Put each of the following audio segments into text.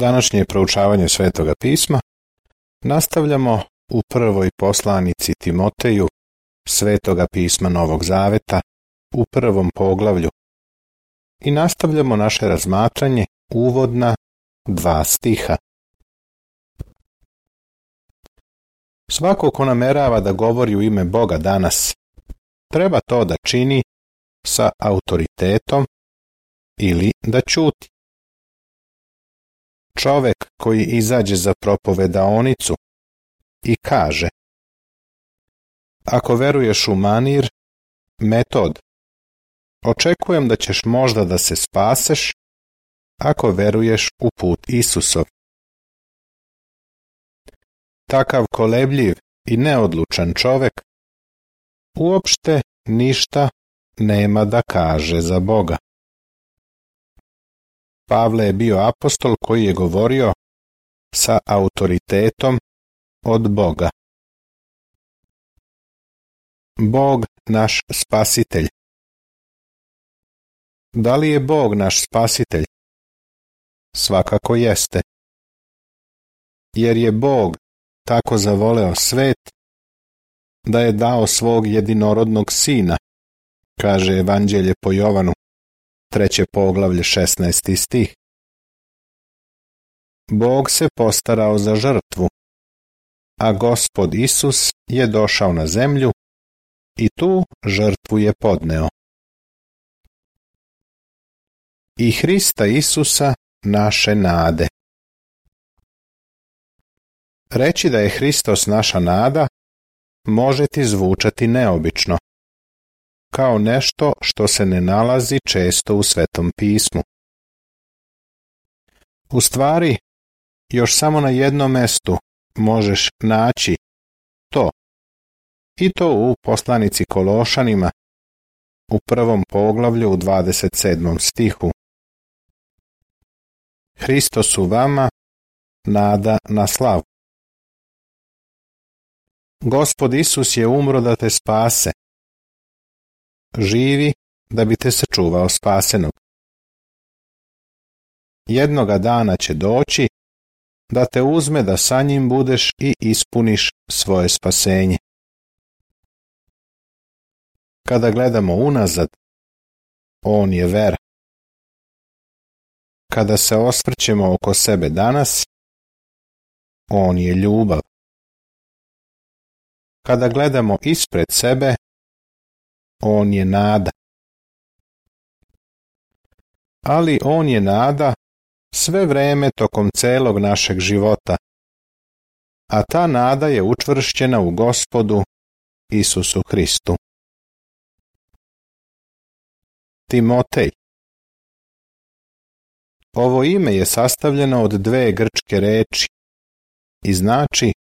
Današnje proučavanje Svetoga pisma nastavljamo u prvoj poslanici Timoteju Svetoga pisma Novog Zaveta u prvom poglavlju i nastavljamo naše razmatranje uvodna 2 stiha. Svako ko namerava da govori u ime Boga danas, treba to da čini sa autoritetom ili da ćuti. Čovek koji izađe za propovedaonicu i kaže: ako veruješ u manir, metod, očekujem da ćeš možda da se spaseš ako veruješ u put Isusov. Takav kolebljiv i neodlučan čovek uopšte ništa nema da kaže za Boga. Pavle je bio apostol koji je govorio sa autoritetom od Boga. Bog naš spasitelj. Da li je Bog naš spasitelj? Svakako jeste. Jer je Bog tako zavoleo svet da je dao svog jedinorodnog sina, kaže Evanđelje po Jovanu, 3. poglavlje 16. stih. Bog se postarao za žrtvu, a Gospod Isus je došao na zemlju i tu žrtvu je podneo. I Hrista Isusa naše nade. Reći da je Hristos naša nada može ti zvučati neobično, kao nešto što se ne nalazi često u Svetom pismu. U stvari, još samo na jednom mestu možeš naći to, i to u poslanici Kološanima u 1. poglavlju u 27. stihu. Hristos u vama, nada na slavu. Gospod Isus je umro da te spase. Živi da bi te sačuvao spasenog. Jednoga dana će doći da te uzme da sa njim budeš i ispuniš svoje spasenje. Kada gledamo unazad, on je vera. Kada se osvrćemo oko sebe danas, on je ljubav. Kada gledamo ispred sebe, on je nada. Ali on je nada sve vreme tokom celog našeg života, a ta nada je učvršćena u Gospodu Isusu Hristu. Timotej. Ovo ime je sastavljeno od 2 grčke reči i znači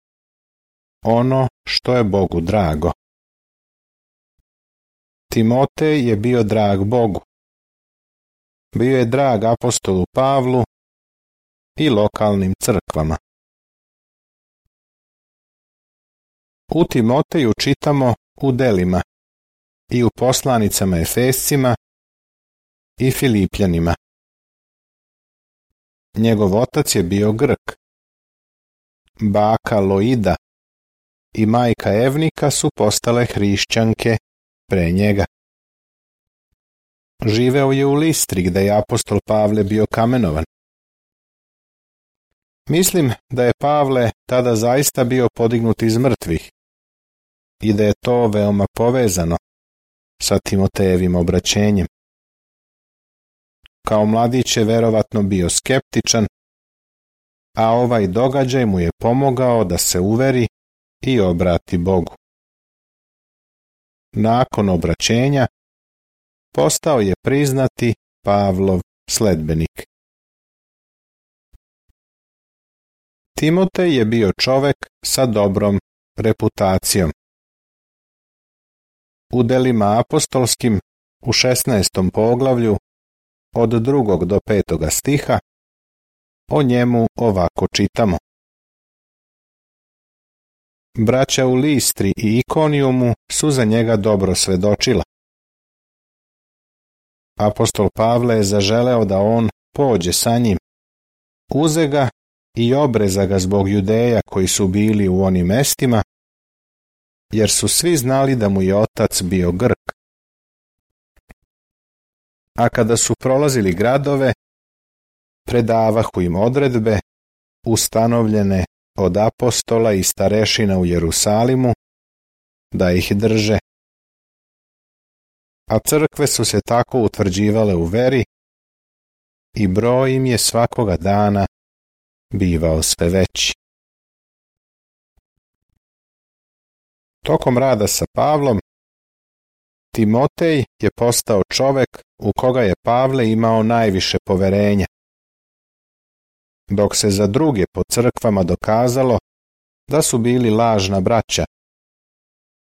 ono što je Bogu drago. Timotej je bio drag Bogu. Bio je drag apostolu Pavlu i lokalnim crkvama. U Timoteju čitamo u delima i u poslanicama Efescima i Filipljanima. Njegov otac je bio Grk. Baka Loida i majka Evnika su postale hrišćanke pre njega. Živeo je u Listri gde je apostol Pavle bio kamenovan. Mislim da je Pavle tada zaista bio podignut iz mrtvih i da je to veoma povezano sa Timotejevim obraćenjem. Kao mladić je verovatno bio skeptičan, a ovaj događaj mu je pomogao da se uveri i obrati Bogu. Nakon obraćenja postao je priznati Pavlov sledbenik. Timotej je bio čovek sa dobrom reputacijom. U delima apostolskim u 16. poglavlju od 2. do 5. stiha o njemu ovako čitamo. Braća u Listri i Ikonijumu su za njega dobro svedočila. Apostol Pavle je zaželeo da on pođe sa njim, uze ga i obreza ga zbog Judeja koji su bili u onim mestima, jer su svi znali da mu je otac bio Grk. A kada su prolazili gradove, predavahu im odredbe ustanovljene od apostola i starešina u Jerusalimu, da ih drže. A crkve su se tako utvrđivale u veri i broj im je svakoga dana bivao sve veći. Tokom rada sa Pavlom, Timotej je postao čovek u koga je Pavle imao najviše poverenja, dok se za druge po crkvama dokazalo da su bili lažna braća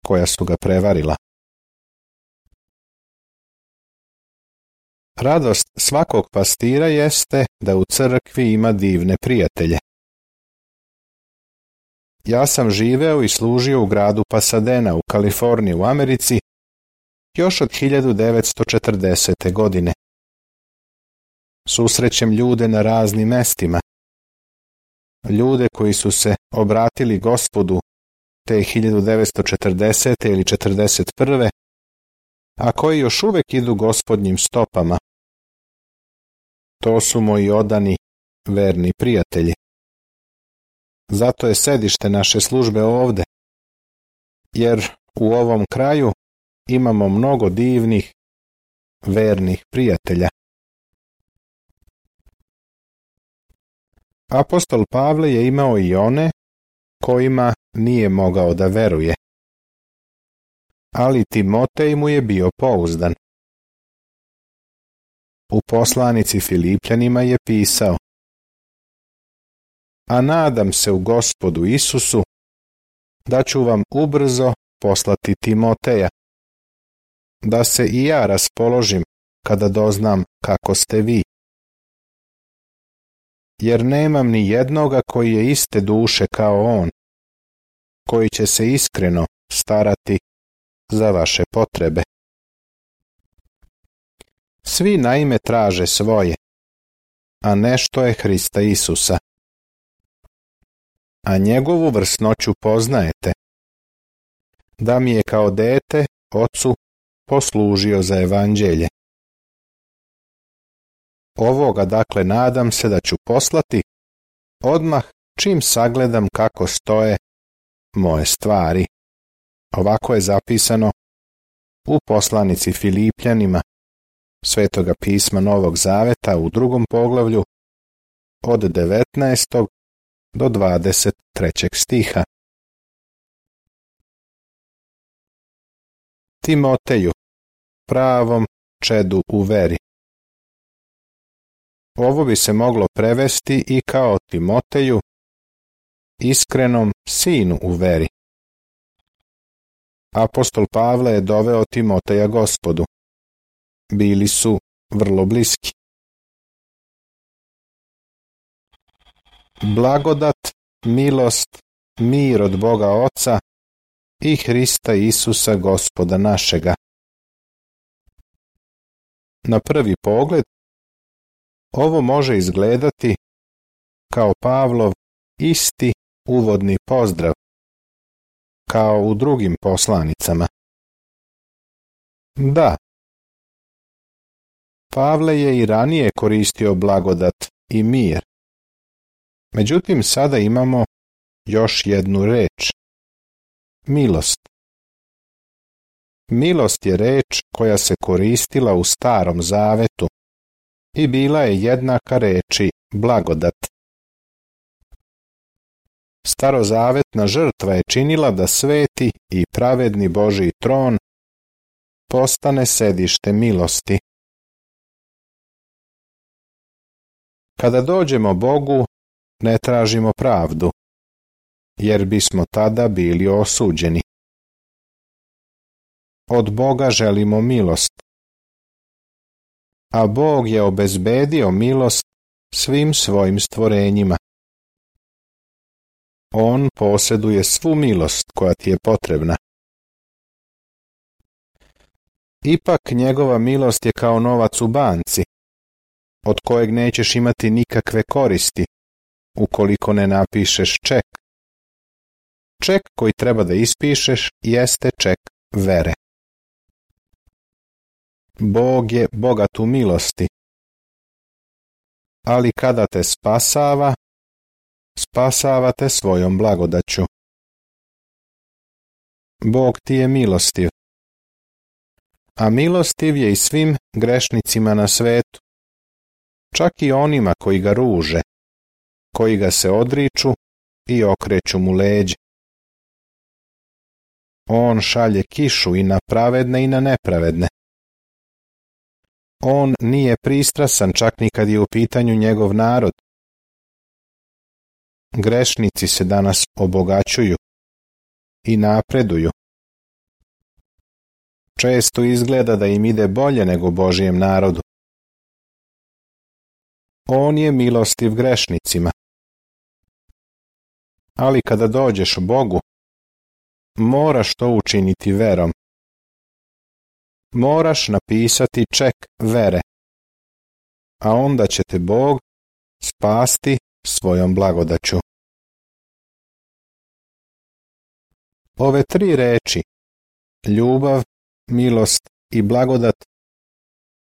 koja su ga prevarila. Radost svakog pastira jeste da u crkvi ima divne prijatelje. Ja sam živeo i služio u gradu Pasadena u Kaliforniji u Americi još od 1940. godine. Susrećem ljude na raznim mestima. Ljude koji su se obratili Gospodu te 1940. ili 41. a koji još uvek idu Gospodnjim stopama. To su moji odani, verni prijatelji. Zato je sedište naše službe ovde, jer u ovom kraju imamo mnogo divnih, vernih prijatelja. Apostol Pavle je imao i one kojima nije mogao da veruje. Ali Timotej mu je bio pouzdan. U poslanici Filipljanima je pisao: a nadam se u Gospodu Isusu da ću vam ubrzo poslati Timoteja, da se i ja raspoložim kada doznam kako ste vi. Jer nemam ni jednoga koji je iste duše kao on, koji će se iskreno starati za vaše potrebe. Svi naime traže svoje, a nešto je Hrista Isusa. A njegovu vrsnoću poznajete, da mi je kao dete ocu poslužio za evanđelje. Ovoga dakle nadam se da ću poslati odmah čim sagledam kako stoje moje stvari. Ovako je zapisano u poslanici Filipljanima Svetoga pisma Novog Zaveta u 2. poglavlju od 19. do 23. stiha. Timoteju, pravom čedu u veri. Ovo bi se moglo prevesti i kao Timoteju, iskrenom sinu u veri. Apostol Pavle je doveo Timoteja Gospodu. Bili su vrlo bliski. Blagodat, milost, mir od Boga Oca i Hrista Isusa Gospoda našega. Na prvi pogled, ovo može izgledati kao Pavlov isti uvodni pozdrav, kao u drugim poslanicama. Da, Pavle je i ranije koristio blagodat i mir. Međutim, sada imamo još jednu reč. Milost. Milost je reč koja se koristila u Starom Zavetu i bila je jednaka reči blagodat. Starozavetna žrtva je činila da sveti i pravedni Božji tron postane sedište milosti. Kada dođemo Bogu, ne tražimo pravdu, jer bismo tada bili osuđeni. Od Boga želimo milost, a Bog je obezbedio milost svim svojim stvorenjima. On posjeduje svu milost koja ti je potrebna. Ipak njegova milost je kao novac u banci. od kojeg nećeš imati nikakve koristi ukoliko ne napišeš ček. Ček koji treba da ispišeš jeste ček vere. Bog je bogat u milosti, ali kada te spasava, spasava te svojom blagodaću. Bog ti je milostiv, a milostiv je i svim grešnicima na svetu, čak i onima koji ga ruže, koji ga se odriču i okreću mu leđa. On šalje kišu i na pravedne i na nepravedne. On nije pristrasan čak ni kad je u pitanju njegov narod. Grešnici se danas obogaćuju i napreduju. Često izgleda da im ide bolje nego Božijem narodu. On je milostiv grešnicima. Ali kada dođeš Bogu, moraš to učiniti verom. Moraš napisati ček vere, a onda će te Bog spasti svojom blagodaću. Ove 3 reči, ljubav, milost i blagodat,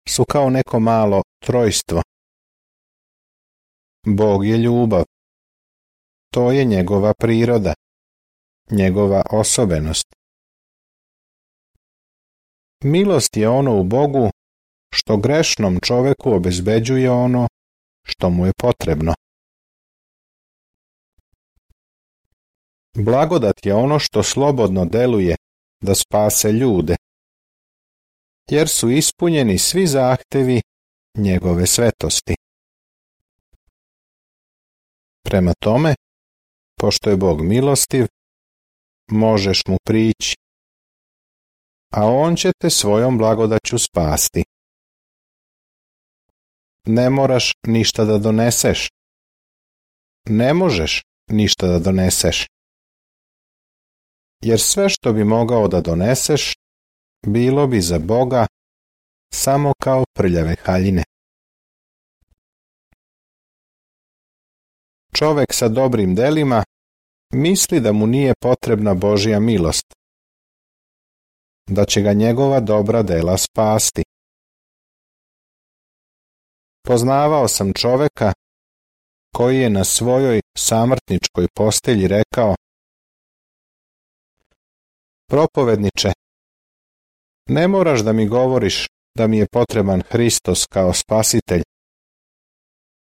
su kao neko malo trojstvo. Bog je ljubav. To je njegova priroda, njegova osobenost. Milost je ono u Bogu što grešnom čoveku obezbeđuje ono što mu je potrebno. Blagodat je ono što slobodno deluje da spase ljude, jer su ispunjeni svi zahtevi njegove svetosti. Prema tome, pošto je Bog milostiv, možeš mu prići, a on će te svojom blagodaću spasti. Ne moraš ništa da doneseš. Ne možeš ništa da doneseš. Jer sve što bi mogao da doneseš, bilo bi za Boga samo kao prljave haljine. Čovek sa dobrim delima misli da mu nije potrebna Božja milost, da će ga njegova dobra dela spasti. Poznavao sam čoveka koji je na svojoj samrtničkoj postelji rekao: Propovedniče, ne moraš da mi govoriš da mi je potreban Hristos kao spasitelj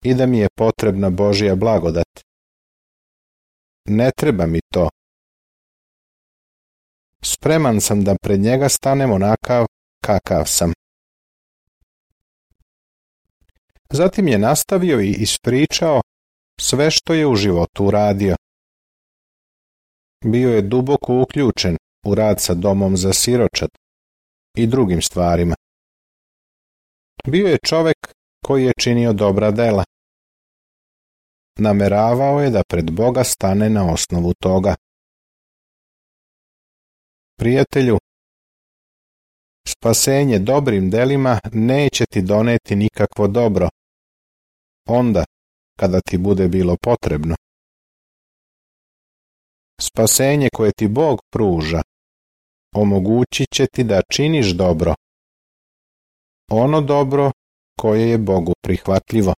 i da mi je potrebna Božja blagodat. Ne treba mi to. Spreman sam da pred njega stanem onakav kakav sam. Zatim je nastavio i ispričao sve što je u životu uradio. Bio je duboko uključen u rad sa domom za siročad i drugim stvarima. Bio je čovek koji je činio dobra dela. Nameravao je da pred Boga stane na osnovu toga. Prijatelju, spasenje dobrim delima neće ti doneti nikakvo dobro, onda kada ti bude bilo potrebno. Spasenje koje ti Bog pruža omogućit će ti da činiš dobro, ono dobro koje je Bogu prihvatljivo.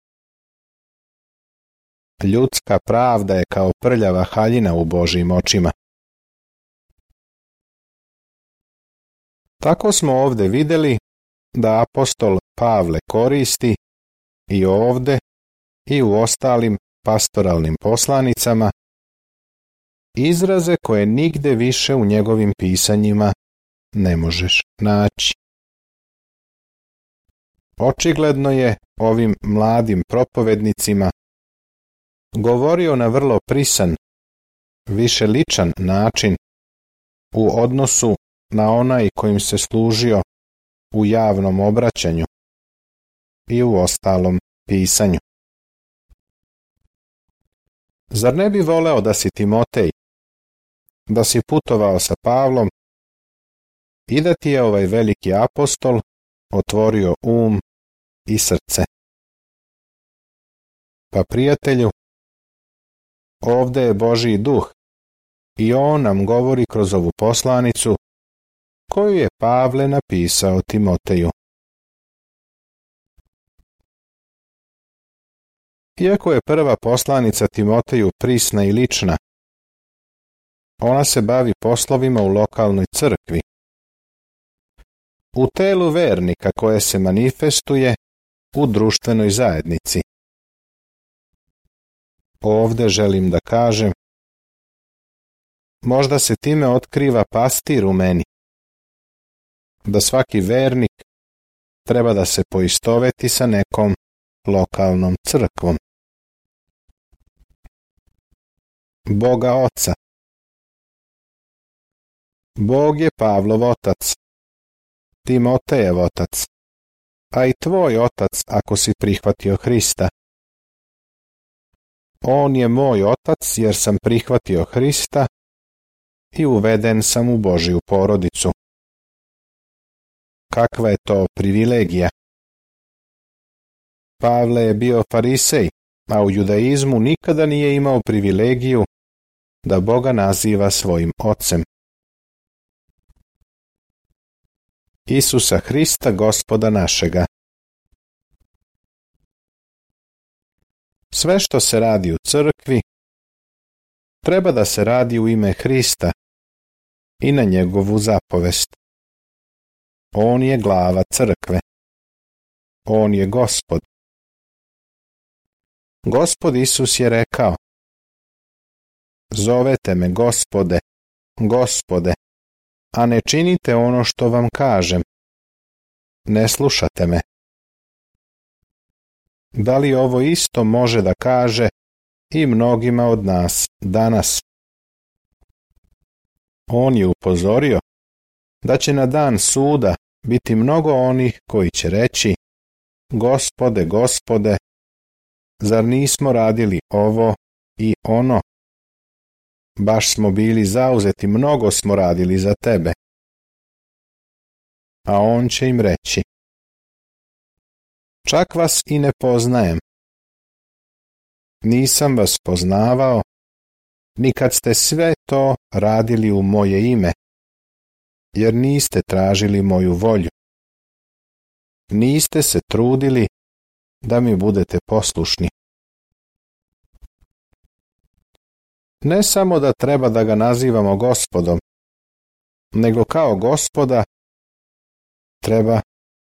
Ljudska pravda je kao prljava haljina u Božjim očima. Tako smo ovde videli da apostol Pavle koristi i ovde i u ostalim pastoralnim poslanicama izraze koje nigde više u njegovim pisanjima ne možeš naći. Očigledno je ovim mladim propovednicima govorio na vrlo prisan, više ličan način u odnosu na onaj kojim se služio u javnom obraćanju i u ostalom pisanju. Zar ne bi voleo da si Timotej, da si putovao sa Pavlom i da ti je ovaj veliki apostol otvorio um i srce? Pa prijatelju, ovde je Božji duh i on nam govori kroz ovu poslanicu koju je Pavle napisao Timoteju. Iako je prva poslanica Timoteju prisna i lična, ona se bavi poslovima u lokalnoj crkvi, u telu vernika koje se manifestuje u društvenoj zajednici. Ovde želim da kažem, možda se time otkriva pastir u meni, da svaki vernik treba da se poistoveti sa nekom lokalnom crkvom. Boga Oca. Bog je Pavlov otac, Timotejev otac, a i tvoj otac ako si prihvatio Hrista. On je moj otac jer sam prihvatio Hrista i uveden sam u Božju porodicu. Kakva je to privilegija? Pavle je bio farisej, a u judaizmu nikada nije imao privilegiju da Boga naziva svojim ocem. Isusa Hrista, Gospoda našega. Sve što se radi u crkvi, treba da se radi u ime Hrista i na njegovu zapovest. On je glava crkve. On je Gospod. Gospod Isus je rekao: Zovete me Gospode, Gospode, a ne činite ono što vam kažem. Ne slušate me. Da li ovo isto može da kaže i mnogima od nas danas? On je upozorio da će na dan suda biti mnogo onih koji će reći: Gospode, Gospode, zar nismo radili ovo i ono? Baš smo bili zauzeti, mnogo smo radili za tebe. A on će im reći: Čak vas i ne poznajem. Nisam vas poznavao, ni kad ste sve to radili u moje ime, jer niste tražili moju volju. Niste se trudili da mi budete poslušni. Ne samo da treba da ga nazivamo Gospodom, nego kao Gospoda treba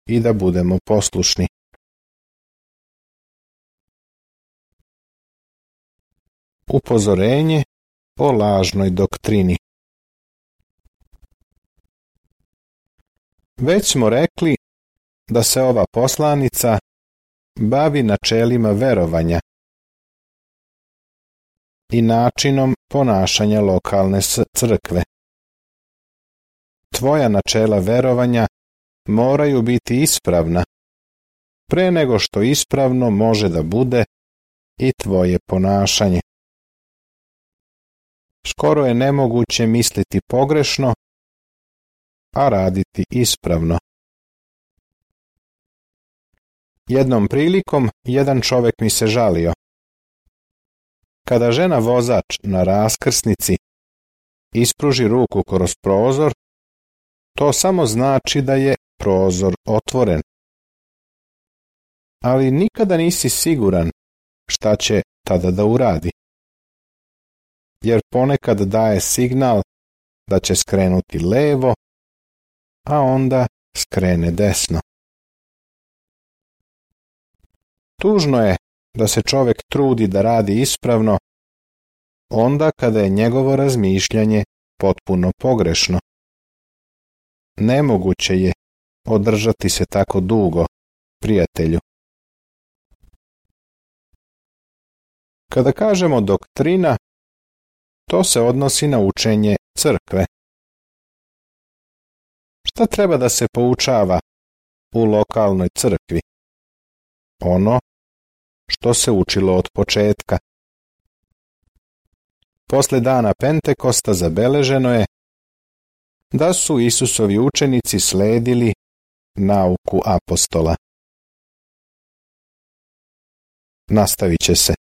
i da budemo poslušni. Upozorenje o lažnoj doktrini. Već smo rekli da se ova poslanica bavi načelima verovanja i načinom ponašanja lokalne crkve. Tvoja načela verovanja moraju biti ispravna, pre nego što ispravno može da bude i tvoje ponašanje. Skoro je nemoguće misliti pogrešno, a raditi ispravno. Jednom prilikom jedan čovek mi se žalio. Kada žena vozač na raskrsnici ispruži ruku kroz prozor, to samo znači da je prozor otvoren. Ali nikada nisi siguran šta će tada da uradi. Jer ponekad daje signal da će skrenuti levo, a onda skrene desno. Tužno je da se čovek trudi da radi ispravno onda kada je njegovo razmišljanje potpuno pogrešno. Nemoguće je održati se tako dugo, prijatelju. Kada kažemo doktrina, to se odnosi na učenje crkve. Šta treba da se poučava u lokalnoj crkvi? Ono što se učilo od početka. Posle dana Pentekosta zabeleženo je da su Isusovi učenici sledili nauku apostola. Nastavit će se.